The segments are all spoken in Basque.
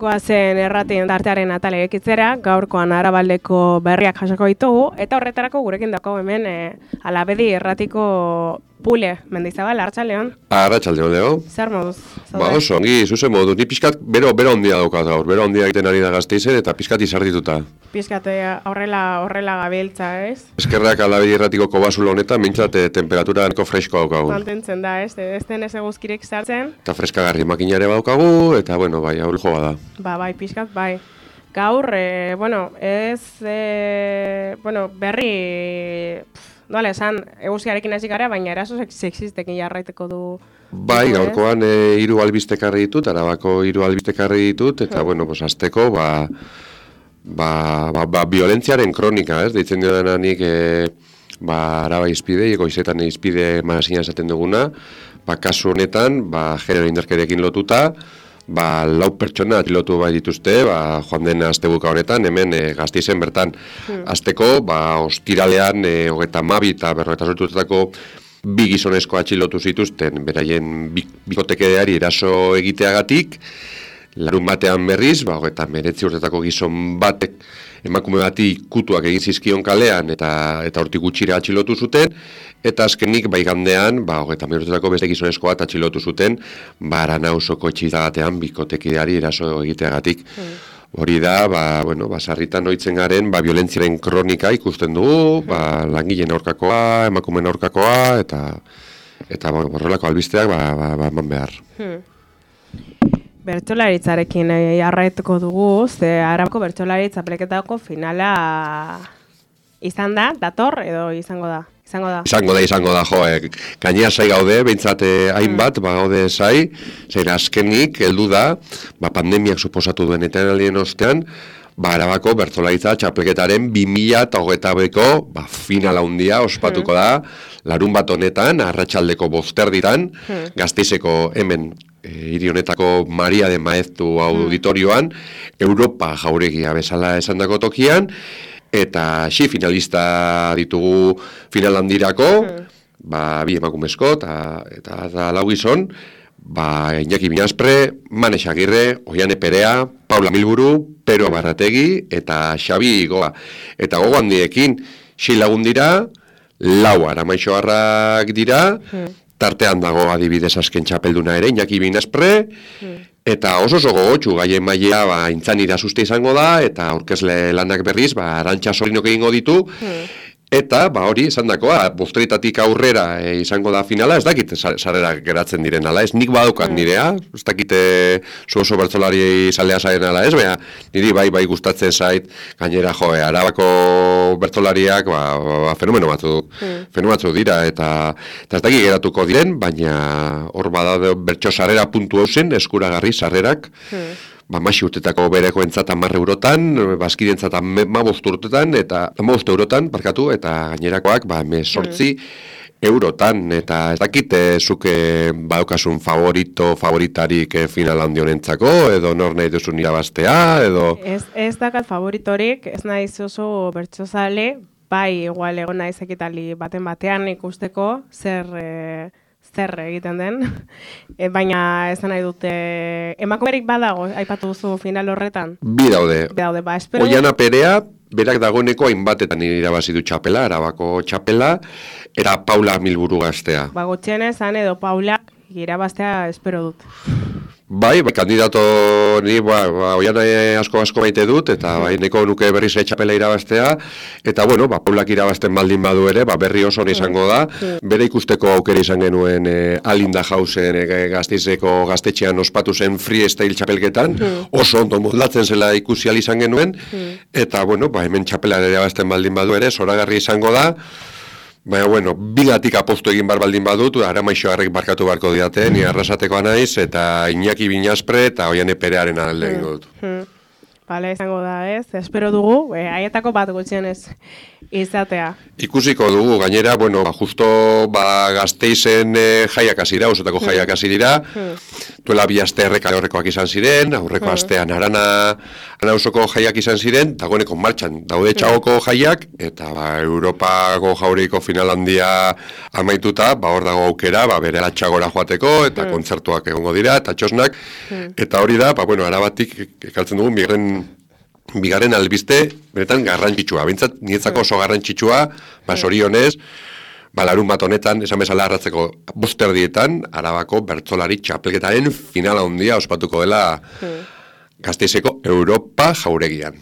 Goazen erratien tartearen atale ekitzera, gaurkoan Arabaldeko berriak jasoko ditugu, eta horretarako gurekin dako hemen Alabedi erratiko Pule Mendizabal, Arratsaldeon. Arratsaldeon, Leo. Zer moduz? Ba, oso, ongi, zuzen moduz. Ni pixkat bero ondia daukat gaur, bero ondia egiten ari da Gasteizen eta pixkat izardituta. Pixkat horrela gabiltza, ez? Eskerrak Alabedi erratiko kobazulo honetan, mintzat temperatura nahiko fresko daukagu. Mantentzen da, ez? Ez den ez eguzkirik sartzen. Eta freskagarri makinare daukagu, eta, bueno, bai, hau joa da. Bai, pixkat, bai. Gaur, berri... Nola esan, eguzkiarekin hasi gara, baina eraso sexistekin jarraiteko du. Bai, gaurkoan 3 albiste ekarri ditut, Arabako 3 albiste ekarri ditut, eta, bueno, azteko, violentziaren kronika, ez? Deitzen diodan nik, Araba izpide, goizetan izpide magazina esaten duguna, kasu honetan, genero indarkeriarekin lotuta, 4 pertsona atxilotu bai dituzte, joan den astebuka honetan, hemen Gasteizen bertan. Azteko, ostiralean, 32 eta 58 2 gizonezko atxilotu zituzten, beraien bikotekideari eraso egiteagatik, larun batean berriz, 19 urtetako gizon batek emakume bati kutuak egin zizkion kalean eta hortik gutxira atxilotu zuten, eta azkenik igandean, 20 urtetako beste gizonezko bat atxilotu zuten, Aranausoko etxizagatean bikotekideari eraso egiteagatik. Hori da, sarritan ohitzen garen, violentziaren kronika ikusten dugu, langileen aurkakoa, emakumeen aurkakoa, eta horrelako albisteak eman behar. Bertsolaritzarekin jarraituko dugu, ze Arabako bertsolaritza peleketako finala izan da, dator edo izango da? Izango da, gainera zai gaude, behintzat hainbat, gaude zai, zein azkenik, heldu da, pandemiak suposatu duen etenaldien ostean, Arabako bertsolaritza txapelketaren 2022ko finala handia ospatuko da, larun bat honetan, arratsaldeko 5:00 Gasteizeko hemen, hiri honetako Maria de Maeztu auditorioan, Europa jauregia bezala esandako tokian, eta finalista ditugu final handirako, 2 emakumezko eta 4 gizon, Iñaki Binaspre, Mane Xagirre, Oiane Perea, Paula Milburu, Pero Barrategi eta Xabi Goa. Eta gogo handiekin, 6 lagun dira, 4 aramaixoarrak dira, tartean dago adibidez azken txapelduna ere, Iñaki Binaspre, eta oso gogotsu gaien mailea intzan irasuste izango da, eta aurkezle lanak berriz, Arantxa Sorinok egingo ditu, eta, hori, esan dakoa, bosteritatik aurrera izango da finala, ez dakit sarrera geratzen diren ala, ez nik badaukat nirea, ez dakit zu oso bertsolari zalea zaren ala, ez, niri bai gustatzen zait, gainera, Arabako bertsolariak, fenomeno batzu dira, eta ez dakit geratuko diren, baina hor bada bertso sarrera puntu hausen, eskuragarri sarrerak, Maxi urtetako bereko entzat 10 eurotan, bazkide entzat 15 urtetan, eta 15 eurotan, eta gainerakoak 18 eurotan, eta ez dakit zuke badaukasun favoritarik final handi honentzako, edo nor nahi duzun irabaztea, edo... Ez dakat favoritorik, ez naiz oso bertsozale, igual egon naiz ekitali batean ikusteko, zer egiten den, baina esan nahi dute, emakumerik badago, aipatu duzu final horretan? Bi daude, espero... Oiana Perea, berak dagoeneko hainbatetan irabazi du txapela, Arabako txapela, era Paula Milburu gaztea. Gutxienez, edo Paula irabaztea espero dut. Bai, kandidato ni Oiana asko maite dut, eta neko nuke berriz txapela irabaztea, eta Paulak irabazten baldin badu ere, berri oso izango da, bere ikusteko aukera izan genuen Alinda Jausen Gasteizeko gaztetxean ospatu zen freestyle txapelketan, oso ondo moldatzen zela ikusi izan genuen, eta hemen txapela irabazten baldin badu ere, zoragarri izango da, baina, bigatik apostu egin baldin badut, aramaixoarrek barkatu barko diate, ni arrasatekoa naiz, eta Iñaki Binaspre eta Oiane Perearen alde egingo dut. Hala izango da, ez? Espero dugu, haietako bat gutxienez izatea. Ikusiko dugu, gainera, bueno, justo Gasteizen jaiak hasi dira, osotako jaiak hasi dira, duela 2 aste horrekoak izan ziren, aurreko astean Arana osoko jaiak izan ziren, dagoeneko martxan daude Txagoko jaiak, eta Europako jauriko final handia amaituta, hor dago aukera, bere Txagora joateko, eta kontzertuak egongo dira, eta txosnak, eta hori da, Arabatik ekaltzen dugu, bigarren albiste, benetan garrantzitsua. Bintzat, nietzako oso garrantzitsua, sorionez, larun bat honetan, esan bezala arratzeko 5 erdietan, Arabako bertsolari txapelketaren finala handia ospatuko dela Gasteizeko Europa jauregian.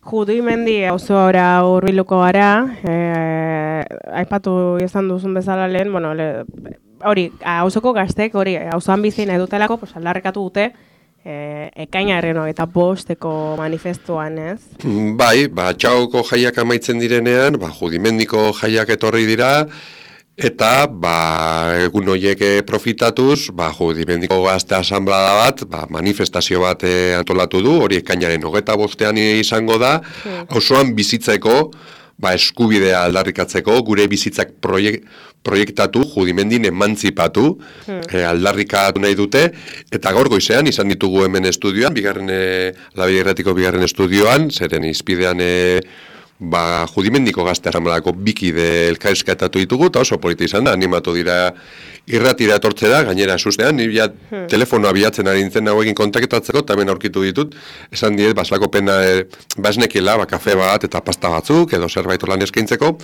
Judimendi auzoara hurbiluko gara, aipatu izan duzun bezala lehen, hori, auzoko gaztek, hori, auzoan bizi nahi dutelako, aldarrikatu dute, ekainaren eta 5eko manifestuan, ez? Bai, Txagoko jaiak amaitzen direnean, Judimendiko jaiak etorri dira, eta egun horiek profitatuz, Judimendiko gazte asanblada bat, manifestazio bat antolatu du, hori ekainaren 25ean izango da, auzoan bizitzeko, eskubidea aldarrikatzeko, gure bizitzak proiektatu, Judimendin emantzipatu, aldarrikatu nahi dute, eta gaur goizean izan ditugu hemen estudioan, Labide-irratiko bigarren estudioan, zeren izpidean Judimendiko gazte asanbladako bikide elkarrizketatu ditugu, eta oso polita izan da, animatu dira irratira etortzera, gainera sustean, nire telefonoa bilatzen ari nintzen hauekin kontaktatzeko, eta hemen aurkitu ditut, esan diet, baslako pena, esnekiela, kafe bat eta pasta batzuk, edo zerbait lan eskaintzeko,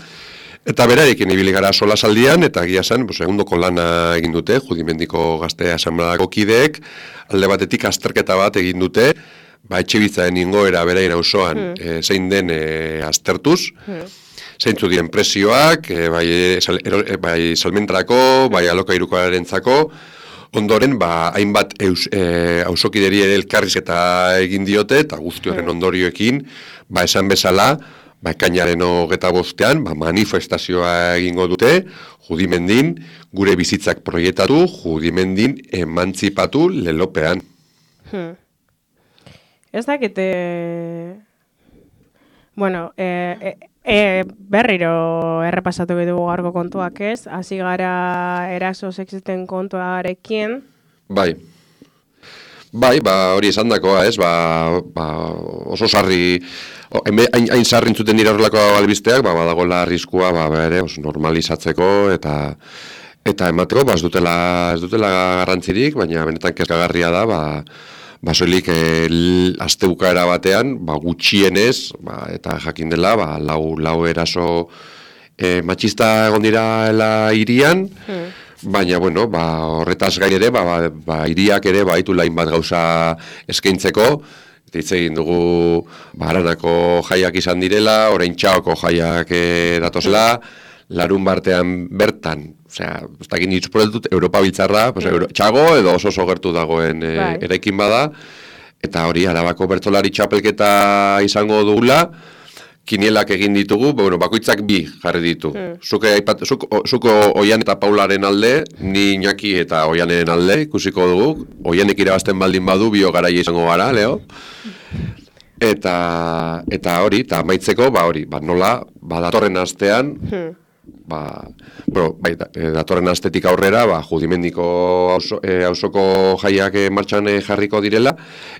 eta berarekin ibili gara sola saldian, eta egia zen, segundoko lana egin dute, Judimendiko gazte asanbladako kideek, alde batetik azterketa bat egin dute, etxebitzaren ingoera berain auzoan zein den aztertuz, zeintzu diren presioak, bai salmentarako, bai alokairukoarentzako, ondoren, hainbat auzokideri ere elkarrizketa egin diote, eta guzti horren ondorioekin, esan bezala, ekainaren 25ean, manifestazioa egingo dute, Judimendin, gure bizitzak proiektatu, Judimendin emantzipatu lelopean. Ez dakite, berriro errepasatu dugu gaurko kontuak ez, hasi gara eraso sexisten kontuarekin. Bai, hori esan dakoa ez, oso sarri, hain sarri entzuten dira horrelako albisteak, badagoela arriskua, oso normalizatzeko eta emateko, ez dutela garrantzirik, baina benetan kezkagarria da, soilik astebukaera batean, gutxienez, eta jakin dela, lau eraso matxista egon dira hirian, baina, horretaz gain ere, hiriak ere, baitu lain bat gauza eskaintzeko, eta hitz egin dugu, Aranako jaiak izan direla, orain Txagoko jaiak datozela, larun bartean bertan, ez dakit nitzuporetut, Europa biltzarra, Txago edo oso gertu dagoen eraikin bada, eta hori, Arabako bertsolari txapelketa izango dugula, kinielak egin ditugu, bakoitzak 2 jarri ditu. Zuko Oian eta Paularen alde, ni Iñaki eta Oianen alde, ikusiko dugu, Oianek irabazten baldin badu, bio garaia izango gara, Leo? Eta hori, eta amaitzeko, nola, datorren astean, datorren astetik aurrera, Judimendiko auzoko jaiak martxan jarriko direla,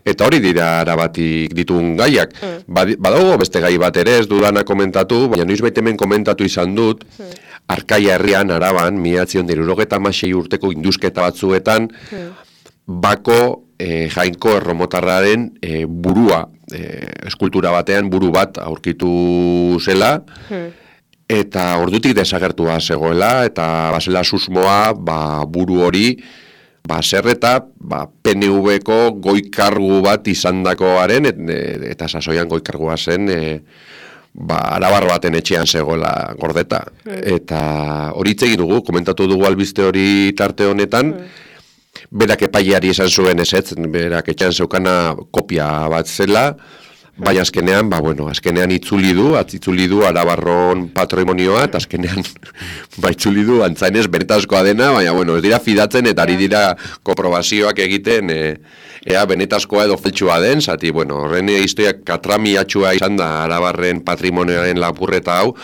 eta hori dira Arabatik ditun gaiak. Badago beste gai bat ere, ez dudana komentatu, baina noizbait hemen komentatu izan dut, Arkaia herrian, Araban, 1996 urteko indusketa batzuetan, Bako Jainko erromotarraren burua, eskultura batean buru bat aurkitu zela, eta ordutik desagertua zegoela, eta bazela susmoa, buru hori, zer eta PNV-ko goi-kargu bat izandakoaren, eta sasoian goi-kargua zen, arabar baten etxean zegoela gordeta. Eta hori hitz egin dugu, komentatu dugu albiste hori tarte honetan, berak epaileari esan zuen ezetz, berak etxean zeukana kopia bat zela, Baina azkenean, azkenean itzuli du Arabarron patrimonioa, eta azkenean itzuli du antzainez benetazkoa dena, baina ez dira fidatzen eta ari dira konprobazioak egiten ea benetazkoa edo faltsua den, zati, horren historiak katramiatxua izan da Arabarren patrimonioaren lapurreta hau,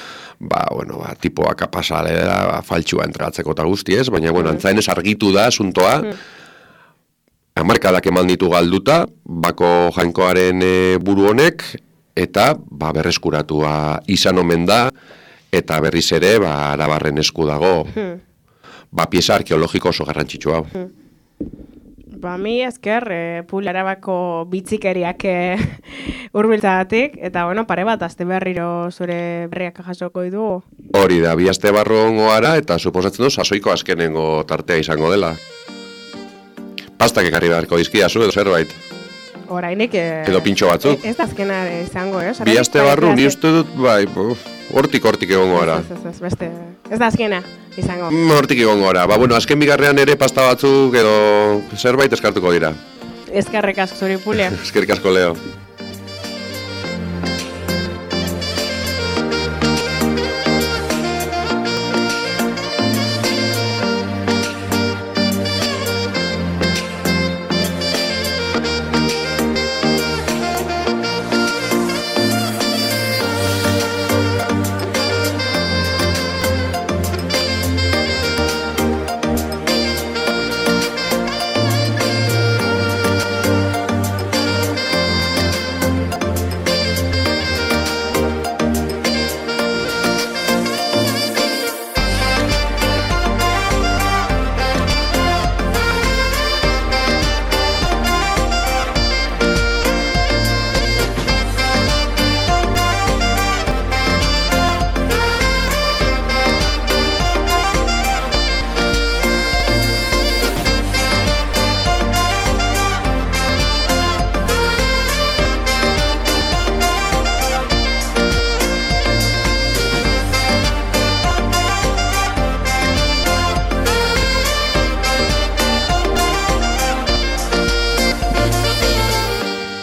tipoa kapasale da faltsua entregatzeko eta guztiez, baina antzainez argitu da asuntoa, hamarkadak eman ditu galduta, bako jainkoaren buru honek, eta berreskuratua izan omen da, eta berriz ere Arabarren esku dago, pieza arkeologiko oso garrantzitsua. Mi esker, Pul Arabako bitzikeriak hurbiltzagatik, eta pare bat, azte berriro zure berriak jasoko ditu. Hori da, 2 aste barru ongo ara, eta suposatzen du, sasoiko azkenengo tartea izango dela. Pastak ekarri beharko dizkidazu edo zerbait. Orainik... Edo pintxo batzuk. Ez da azkena izango, 2 aste barru, ni uste dut, hortik egongo gara. Ez da azkena izango. Hortik egongo gara. Azken bigarrean ere pasta batzuk edo zerbait eskartuko dira. Eskerrik asko zuri, Pulia. Eskerrik asko, Leo.